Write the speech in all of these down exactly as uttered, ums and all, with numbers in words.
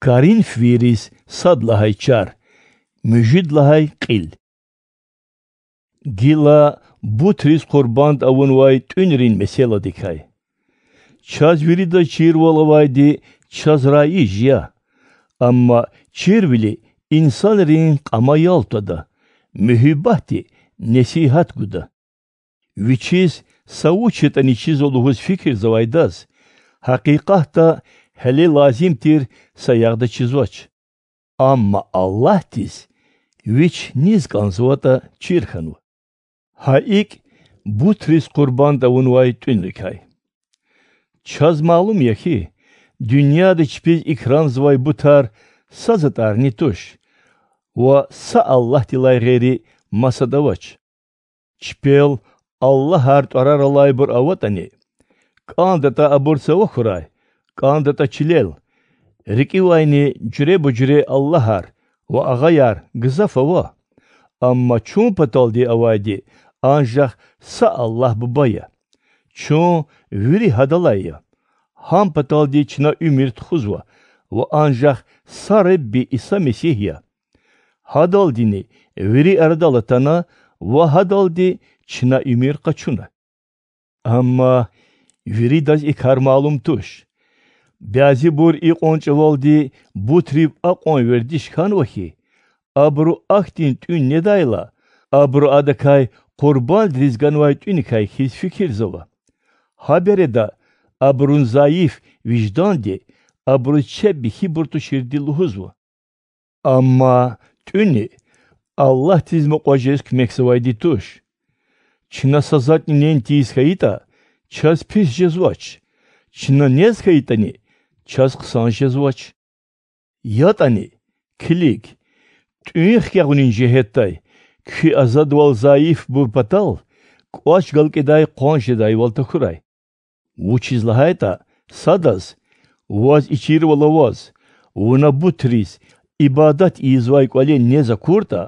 Коринфвийриз сад лагьай чар, муьжуьд лагьай кьил. Гила бутриз къурбанд авунвай тӀуьнрин месэладикай. Чаз виридаз чирвал авайди чаз раиж я, амма чирвили инсанрин кьама ял твада, муьгьуьббатди несигьат гуда. Вичиз са вуч ятӀани чизва лугьуз фикирзавайдаз, гьакъикъатда гьеле лазим тир саягъда чизвач. Амма Аллагьдиз вич низ кӀанзаватӀа чир хьанва. Гьа икӀ, бутриз къурбанд авунвай тӀуьнрикай. Чаз малум я хьи, дуьньяда чпиз икрамзавай бутар са затӀарни туш ва са Аллагьдилай гъейри масад авач. Чпел аллагьар тӀварар алайбур аватӀани, кӀандатӀа абур цава хьурай, кӀандатӀа чилел, рикӀивайни жуьреба-жуьре аллагьар ва агъаяр гзаф ава. Амма чун паталди авайди анжах са Аллагь Буба я. Чун вири Гьадалай я. Гьам паталди чна уьмуьр тухузва ва анжах са Ребби Иса Месигь я. Гьадалдини вири арадал атана ва Гьадалди чна уьмуьр къачуна. Амма виридаз и кар малум туш. Бязибур икьван чӀавалди бутрив акьван вердиш хьанва хьи, абуру ахьтин тӀуьн недайла, абуру адакай къурбандриз ганвай тӀуьникай хьиз фикирзава. Гьа береда абурун зайиф вижданди абуруз чеб михьибур туширди лугьузва. Амма тӀуьни Аллагьдиз мукьва жез куьмекзавайди туш. Чна са затӀни нен тийиз хьайитӀа, чаз пис жезвач, чна нез хьайитӀани, чаз хъсан жезвач. ЯтӀани, килиг, тӀуьн хкягъунин жигьетдай куь азадвал зайифбур патал кӀвач галкӀидай къван жедайвал тахьурай. Вучиз лагьайтӀа садаз, ваз и чирвал аваз, вуна бутриз ибадат ийизвай кӀвале нез акуртӀа,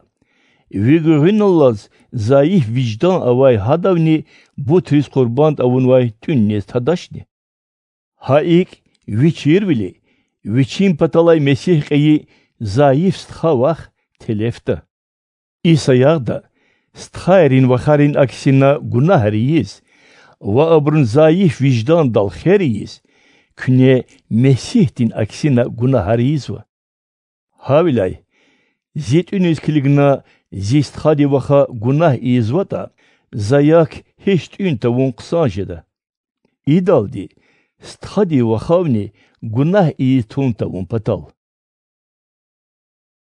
ви гуьгъуьналлаз зайиф виждан авай гьадавни бутриз къурбанд авунвай тӀуьн нез тадачни? Гьа икӀ, ви чирвили, вичин паталай Месигь кьейи зайиф стха вах телефда. И саягъда стхайрин вахарин аксина гунагьар ийиз ва абурун зайиф виждандал хер ийиз, куьне Месигьдин аксина гунагьар ийизва. Гьавиляй, зи тӀуьниз килигна зи стхади ваха гунагь ийизватӀа, за як гьич тӀуьн тавун хъсан жеда. Идалди стхади вахавни гунагь ийиз тун тавун патал.